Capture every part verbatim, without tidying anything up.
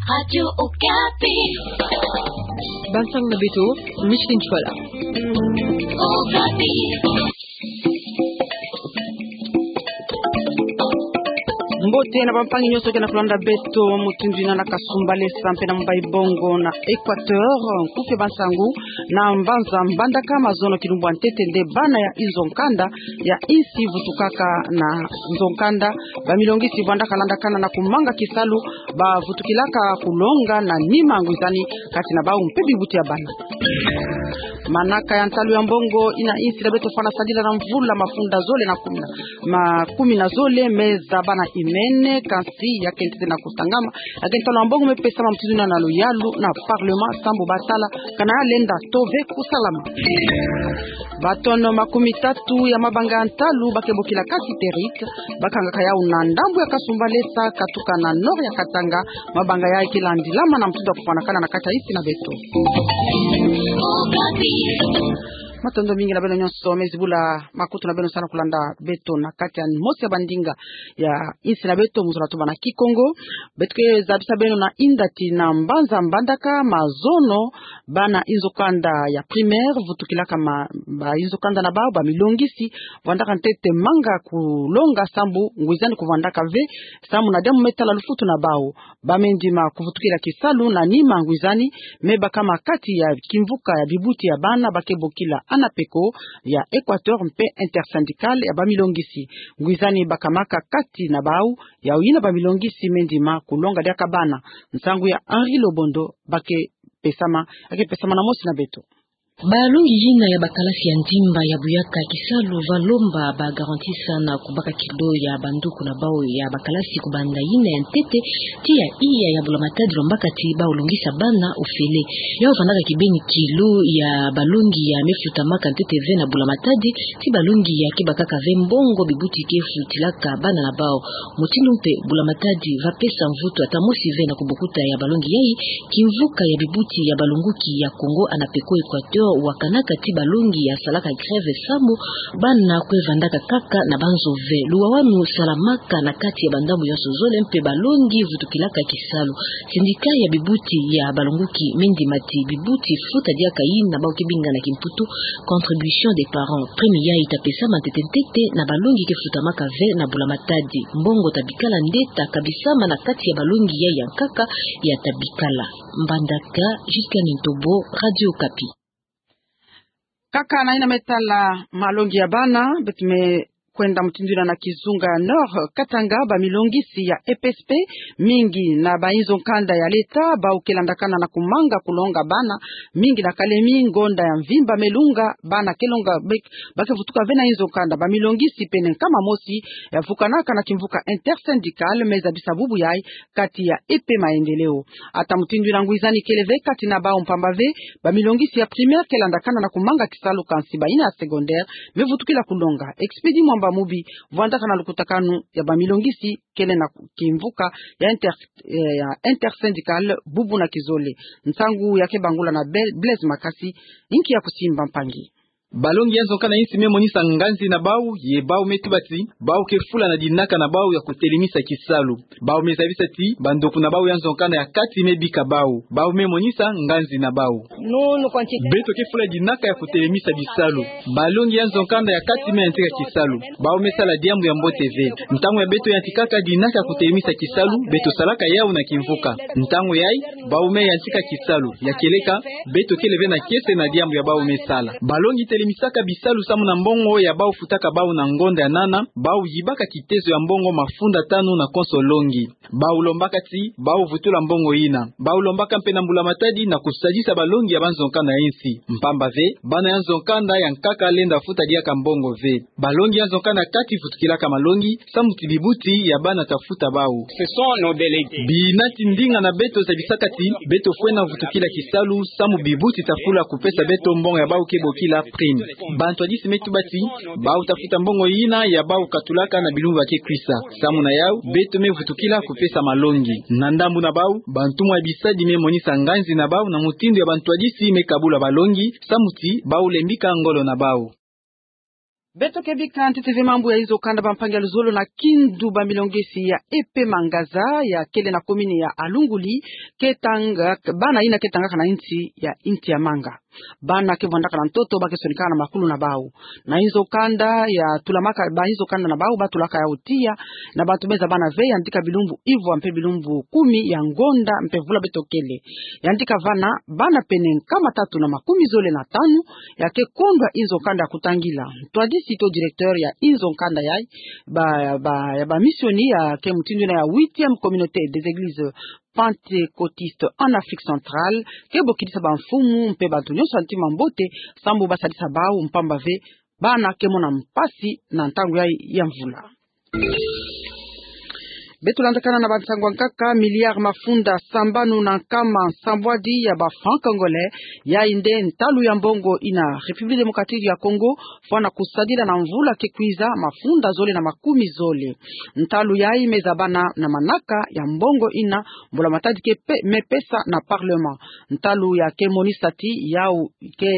Radio Okapi. Bansangu na beto, Micheline Chouala. Okapi. Mbote na bampangi nyonso ke na kulanda beto, mutindu ina na Kasumbalesa mpe na Mumbai Bongo na Equateur, nkuke bansangu na mbanza mbandaka mazono kilumbu ya ntete nde bana ya inzo nkanda ya insi vutukaka na nzo nkanda, bamilongisi vwandaka landakana na kumanga kisalu, bavutukilaka kulonga na nima ngwizani kati na bau mpe bibuti ya bana. Manaka ya ntalu ya mbongo ina insi na beto fwana sadila na mvula mafunda zole na kumi na, ma kumi na zole, me zabana imene, kansi ya ke ntete na kutangama, ya ke ntalu ya mbongo me pesama mutindu ina na luyalu na parlement sambu batala kana ya lenda tove kusalama. Batono makumi tatu ya mabanga ya ntalu ba ke bokila kati terite, bakangaka yau na ndambu ya Kasumbalesa katuka na nord ya Katanga, mabanga yai ke landilama na mutindu ya kufwanakana na kati ya insi na beto. Matondo mingi na beno nyonso me zibula makutu na beno salu na kulanda beto na kati ya mosi ya bandinga ya insi na beto mu zola tubana Kikongo. Beto ke zabisa beno na inda ti na mbanza mbandaka mazono, bana inzo kanda ya primaire vutukilaka ma, ba inzo kanda na bau, bamilongisi vwandaka ntete manga kulonga sambu ngwizani kuvwandaka ve, sambu na diambu me tala lufutu na bau. Ba me ndima kuvutukila kisalu na nima ngwizani, me bakama kati ya kimvuka ya bibuti ya bana ba ke bokila ANAPECO ya Equateur mpe intersyndicale ya bamilongisi. Ngwizani bakamaka kati na bau, yau ina bamilongisi me ndima kulonga diaka bana. Nsangu ya Henri Lobondo ba ke pesama, ya ke pesama na mosi na beto. Balongi ina ya bakalasi ya ndimba ya buyaka kisalu va lomba ba garantie sana kubaka kilo ya banduku na bau ya bakalasi kubanda ina ya ntete tii ya iya ya bula matadi lombaka ti bau longisa bana ofele. Yau vandaka kibeni kilo ya balongi ya me futamaka ntete ve na bula matadi, ti balongi ya ke bakaka ve mbongo bibuti ke futilaka bana na bau. Mutindu mpe bula matadi va pesa mvutu ata mosi ve na kubokuta ya balongi yai. Kimvuka ya bibuti ya balonguki ya Kongo ANAPECO Equateur wakanaka ti balongi ya salaka grève samu bana kwe vandaka kaka na banzo ve. Luwawanu salamaka na kati ya bandambu yonso zole mpe balongi vutukilaka kisalu. Syndicat ya bibuti ya balonguki me ndima ti bibuti futa diaka ina bau ke binga na kimputu contribution des parents. Prime yai ta pesama ntete ntete na balongi ke futamaka ve na bula matadi. Mbongo ta bikala nde ta kabisama na kati ya balongi yai ya nkaka ya ta bikala. Mbandaka, Justin Ntobo, Radio Okapi. Kaka na ina me tala malongi ya bana, beto me kwenda mutindu ina na kizunga ya Nord Katanga, bamilongisi ya EPSP mingi na ba inzo nkanda ya leta, bau ke landakana na kumanga kulonga bana mingi na Kalemi, ngonda ya mvimba me lunga, bana ke longa be-, ba ke vutuka ve na inzo nkanda. Bamilongisi pene nkama mosi ya vukanaka na kimvuka intersyndicale me zabisa bubu yai kati ya E P maendeleo. Ata mutindu ina ngwizani kele ve kati na bau mpamba ve, bamilongisi ya primaire ke landakana na kumanga kisalu kansi ba ina ya secondaire me vutukila kulonga. Expedit Mwamba Mubi vwandaka na lukutakanu ya bamilongisi kele na kimvuka ya inter-, eh, ya intersyndicale bubu na kizole. Nsangu ya ke bangula na Be-, Blaise Makasi, inki ya kusimba mpangi. Balongi ya nzo nkanda ya insi me monisa nganzi na bau, ye bau me tuba ti bau ke fula na dinaka na bau ya kutelemisa kisalu. Bau me zabisa ti bandoku na bau ya nzo nkanda ya kati me bika bau. Bau me monisa nganzi na bau. Beto ke fula dinaka ya kutelemisa bisalu. Balongi ya nzo nkanda ya kati me yantika kisalu. Bau me sala diambu ya mbote ve. Ntangu ya beto yantikaka dinaka ya kutelemisa kisalu, beto salaka yau na kimvuka. Ntangu yai, bau me yantika kisalu. Ya kieleka, beto kele ve na kiese na diambu ya bau me sala. Balongi telemisaka bisalu samu na mbongo ya bau futaka bau na ngonda ya nana, bau yibaka kitezo ya mbongo mafunda tanu na konso longi. Bau lombaka ti bau vutula mbongo ina. Bau lombaka mpe na mbula matadi na kusadisa balongi ya ba nzo nkanda ya insi. Mpamba ve, bana ya nzo nkanda ya nkaka lenda futa diaka mbongo ve. Balongi ya nzo nkanda ya kati vutukilaka malongi, samu ti bibuti ya bana ta futa bau. Bina ti ndinga na beto zabisaka ti beto fwena vutukila kisalu, samu bibuti ta fula kupesa beto mbongo ya bau ke bokila prime. Bantwadisi me tuba ti bau ta futa mbongo ina ya bau katulaka na bilumbu ba ke kwisa. Samu na yau, beto me vutukila kupesa malongi. Na ndambu na bau, bantumwa ya bisadi me monisa nganzi na bau na mutindu ya bantwadisi me kabula balongi, samu ti bau lembika ngolo na bau. Beto ke bika ntete ve mambu ya inzo kanda, bampangi ya luzolo na kindu, bamilongi esi ya E P Mangaza, ya kele na komini ya Alunguli, ke tanga, bana ina ke tangaka na insi ya Inti ya Manga. Bana ke vandaka na ntoto, ba ke sonikaka na makulu na bau. Na inzo kanda ya tulamaka, ba inzo kanda na bau, ba tulaka yau tiya na bantu me zabana ve, yandika bilumbu ivwa mpe bilumbu kumi ya ngonda mpe vula beto kele. Yandika vana, bana pene nkama tatu na makumi zole na tanu ya ke kondwa inzo kanda ya kutangila. Ntwadisi to directeur ya inzo kanda yai, ba, ba, ya bamisioni ya ke mutindu ina ya huitième communauté des églises pentecôtistes en Afrique centrale, ke bokidisa bamfumu mpe bantu nyonso ya ntima mbote, sambu ba sadisa bau, mpamba ve bana ke mona mpasi na ntangu yai ya mvula. Beto landakana na bansangu ya nkaka. Milliard mafunda sambanu na nkama nsambwadi ya ba francs congolais, yai nde ntalu ya mbongo ina République démocratique ya Congo fwana kusadila na mvula ke kwiza, mafunda zole na makumi zole. Ntalu yai me zabana na manaka ya mbongo ina mbula matadi ke pe-, me pesa na parlement. Ntalu ya ke monisa ti yau ke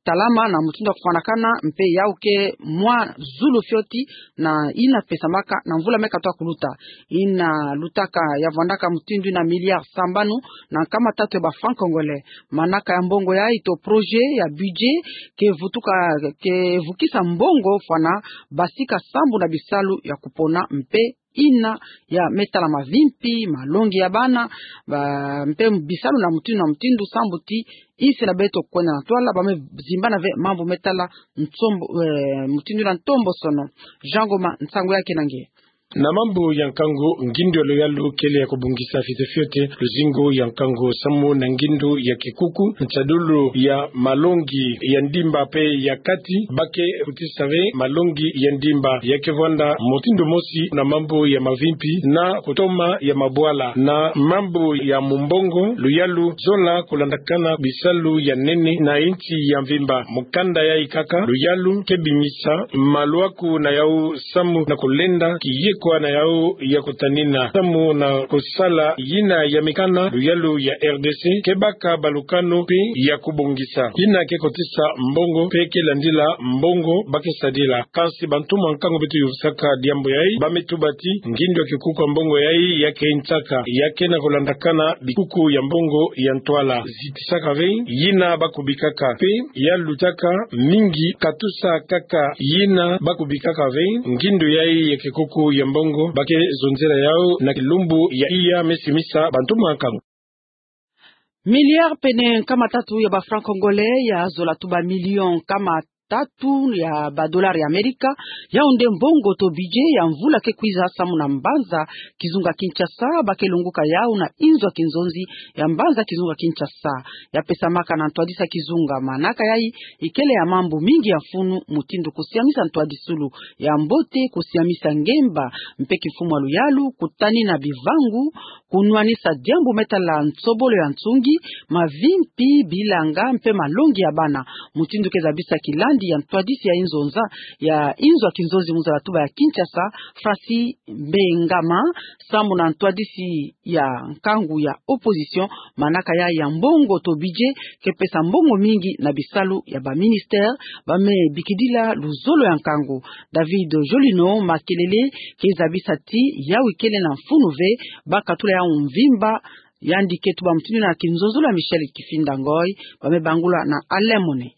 talama na mutindu ya kufwanakana, mpe yau ke mwa zulu fioti na ina pesamaka na mvula me katoa kuluta. Ina lutaka ya vandaka mutindu ina milliard sambanu na nkama tatu ya ba francs congolais. Manaka ya mbongo yai to projet ya budget ke vutuka, ke vukisa mbongo fwana basika sambu na bisalu ya kupona mpe ina ya me tala mavimpi, malongi ya bana, ba, mpe bisalu na mutindu na mutindu, sambu ti insi na beto kwenda na ntwala, ba me zimbana ve mambu me tala ntombo, eh, mutindu na ntombosono. Jean Ngoma, nsangu ya ke na nge. Na mambu ya nkangu, ngindu ya luyalu kele ya kubongisa fioti fioti luzingu ya nkangu samu na ngindu ya kikuku, nsadulu ya malongi ya ndimba mpe ya kati, ba ke kotisa ve malongi ya ndimba ya ke vwanda mutindu mosi na mambu ya mavimpi na kutoma ya mabwala. Na mambu ya mumbongo, luyalu zola kulandakana bisalu ya nene na insi ya mvimba. Mu kanda yai kaka, luyalu ke bimisa malwaku na yau samu na kulenda kiyekwa na yau ya kutanina samu na kusala yina ya mikana. Luyalu ya R D C ke baka balukanu mpe ya kubongisa yina ke kotisa mbongo mpe ke landila mbongo ba ke sadila. Kansi bantu mwa nkangu beto yufusaka diambu yai, ba me tuba ti ngindu ya kikuku ya mbongo yai ya ke ntsaka, ya ke na kulandakana bikuku ya mbongo ya ntwala. Zitisaka ve yina ba kubikaka, mpe ya lutaka mingi katusa kaka yina ba kubikaka ve ngindu yai ya kikuku ya mbongo ba ke zonzela yau na kilumbu ya iya me simisa bantu mwa nkangu. Milliard pene nkama tatu ya ba francs congolais, ya zola tuba million nkama tatu ya ba dollars ya Amerika, yau nde mbongo to budget ya mvula ke kwiza samu na mbanza kizunga Kinshasa, ba ke lunguka yau na inzo ya kinzonzi ya mbanza kizunga Kinshasa. Ya pesamaka na ntwadisi ya kizunga. Manaka yai ikele ya mambu mingi ya mfunu, mutindu kusiamisa ntwadisulu ya mbote, kusiamisa ngemba mpe kimfumu ya luyalu, kutanina bivangu, kunwanisa diambu me tala nsobolo ya nsungi, mavimpi, bilanga mpe malongi ya bana. Mutindu ke zabisa kilandi ya ntwadisi ya inzonza, ya inzo ya kinzonzi mu nzala tuba ya Kinshasa, Francis Mbengama, samu na ntwadisi ya nkangu ya opposition, manaka yai ya mbongo to budget ke pesa mbongo mingi na bisalu ya ba ministère ba me bikidila luzolo ya nkangu. David Jolino Makelele ke zabisa ti yau ikele na mfunu ve, ba katula yau mvimba. Yandi ke tuba mutindu na kinzonzolo ya Michel Kifinda Ngoy, ba me bangula na Alain Mone.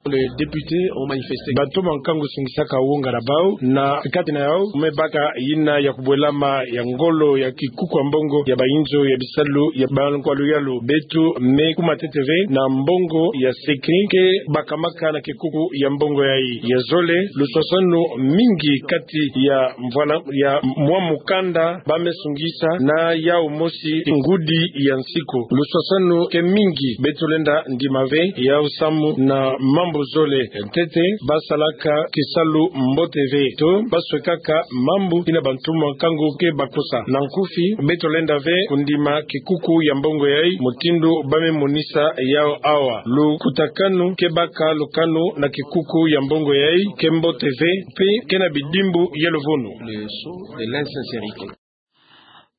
Les députés ont manifesté. Bantu mwa nkangu sungisaka wonga na bau, na kati na yau me baka yina ya kubwelama ya ngolo ya kikuku ya mbongo ya ba inzo ya bisalu ya ba nkwa luyalu. Beto me kuma ntete ve na mbongo ya secret ke bakamaka na kikuku ya mbongo yai. Ya zole, luswaswanu mingi kati ya mvwala ya mwa mukanda ba me sungisa na yau mosi ngudi ya nsiku. Luswaswanu ke mingi, beto lenda ndima ve yau samu na mambu zole. Ntete ba salaka kisalu mbote ve, to ba swekaka mambu yina bantu mwa nkangu ke bakosa. Na nkufi, beto lenda ve kundima kikuku ya mbongo yai mutindu ba me monisa yau awa. Lukutakanu ke baka lukanu na kikuku ya mbongo yai ke mbote ve, mpe ke na bidimbu ya luvunu. Le sceau de l'insincérité.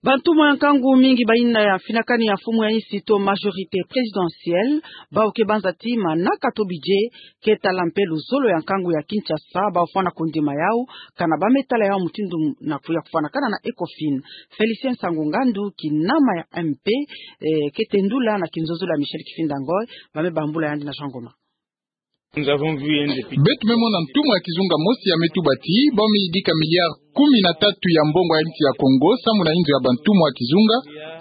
Bantumwa ya nkangu mingi baina ya finakani ya mfumu ya insi to majorité présidentielle, bau ke banza ti manaka to budget, ke tala mpe luzolo ya nkangu ya Kinshasa, bau fwana kondima yau, kana ba me tala yau mutindu na kuya kufwanakana na ECOFIN. Félicien Sango Ngandu, kinama ya M P, eh, ke tendula na kinzonzolo ya Michel Kifinda Ngoy, ba me bambula yandi na Jean Ngoma. Beto me mona ntumwa ya kizunga mosi ya me tuba ti, bau me yidika milliard kumi na tatu ya mbongo ya insi ya Kongo, samu na inzo ya bantumwa ya kizunga,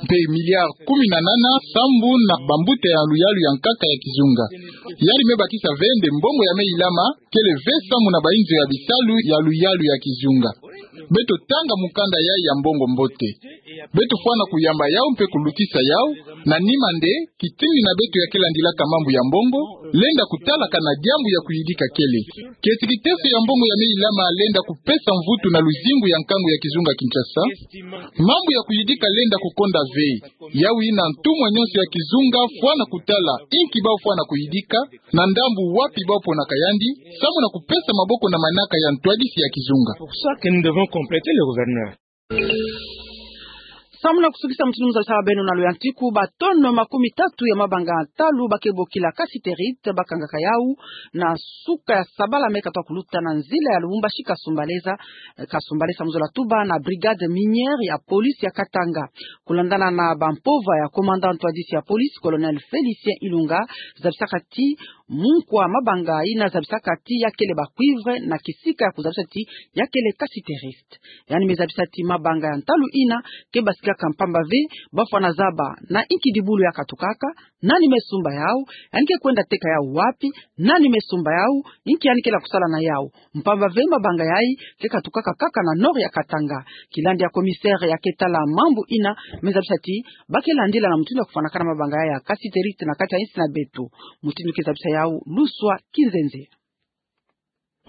mpe milliard kumi na nana, samu na bambuta ya luyalu ya nkaka ya kizunga. Yandi me bakisa ve nde mbongo ya me ilama, kele ve samu na bainzo ya bisalu ya luyalu ya kizunga. Beto tanga mukanda yai ya mbongo mbote. Beto fwana kuyamba yau mpe kulutisa yau, na nima nde, kitingi na beto ya ke landilaka mambu ya mbongo, lenda kutalaka na diambu ya kuyidika kele. Kieti kiteso ya mbongo ya me ilama lenda kupesa mvutu na luzingu ya nkangu ya kizunga Kinshasa. Mambu ya kuyidika lenda kukonda ve. Yau ina ntumwa nyonso ya kizunga fwana kutala, inki bau fwana kuyidika, na ndambu wapi bau ponaka yandi, samu na kupesa maboko na manaka ya ntwadisi ya kizunga. Pour ça que nous devons compléter le gouvernement. Samu na kusukisa mutindu mu zabisaka beno na luyantiku, ba tonne makumi tatu ya mabanga ya ntalu ba ke bokila cassiterite, ba kangaka yau na suka ya sabala me katuka kuluta na nzila ya Lubumbashi Kasumbalesa, eh, Kasumbalesa mu zola tuba na brigade minière ya police ya Katanga. Kulandana na bampova ya commandant ntwadisi ya police, colonel Félicien Ilunga, zabisaka ti munkwa mabanga ina zabisaka ti ya kele ba cuivre na kisika ya kuzabisa ti ya kele cassiterite. Yandi me zabisa ti mabanga ya ntalu ina ke basikaka mpamba ve, bau fwana zaba na inki dibulu ya katukaka, nani me sumba yau, yandi ke kwenda teka yau wapi, nani me sumba yau, inki yandi kele kusala na yau. Mpamba ve mabanga yai ke katukaka kaka na nord ya Katanga. Kilandi ya commissaire ya ke tala mambu ina me zabisa ti ba ke landila na mutindu ya kufwanakana mabanga yai ya cassiterite na kati ya insi na beto. Mutindu ke zabisa yau Luswa Kinzenze.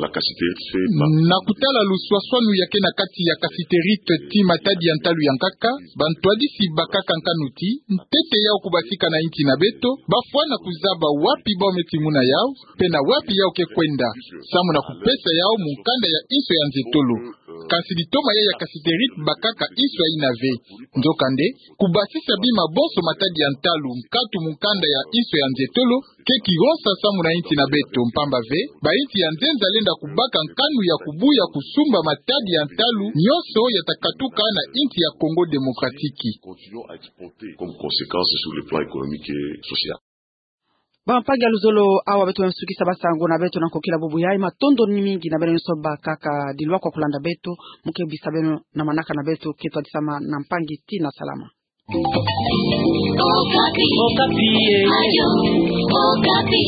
La cassiterite fait partie. Na kutala luswaswanu ya ke na kati ya cassiterite ti matadi ya ntalu ya nkaka, bantwadisi bakaka nkanu ti, ntete yau kubasika na insi na beto, ba fwana kuzaba wapi bau me tinguna yau, mpe na wapi yau ke kwenda, samu na kupesa yau mukanda ya inso ya nzetolo. Kasi litoma yai ya cassiterite bakaka inso ya ina ve. Nzokande, kubasisa bima bonso matadi ya ntalu, nkatu mukanda ya inso ya nzetolo, ke kironsa samu na insi na beto, mpamba ve, bainsi ya nzenza lenda kubaka nkanu ya kubuya kusumba matadi ya ntalu nyonso ya ta katuka na insi ya Congo Démocratique. Continuons à exporter comme conséquence sur le plan économique et social. Bampangi ya luzolo, awa beto me sukisa basango na beto na nkokila bubu yai. Matondo ni mingi na beno nyonso bakaka dilwa kwa kulanda beto, mu ke bisa beno na manaka na beto ke twadisama na mpangi ti na salama. Okapi. Okapi, eh. Radio Okapi.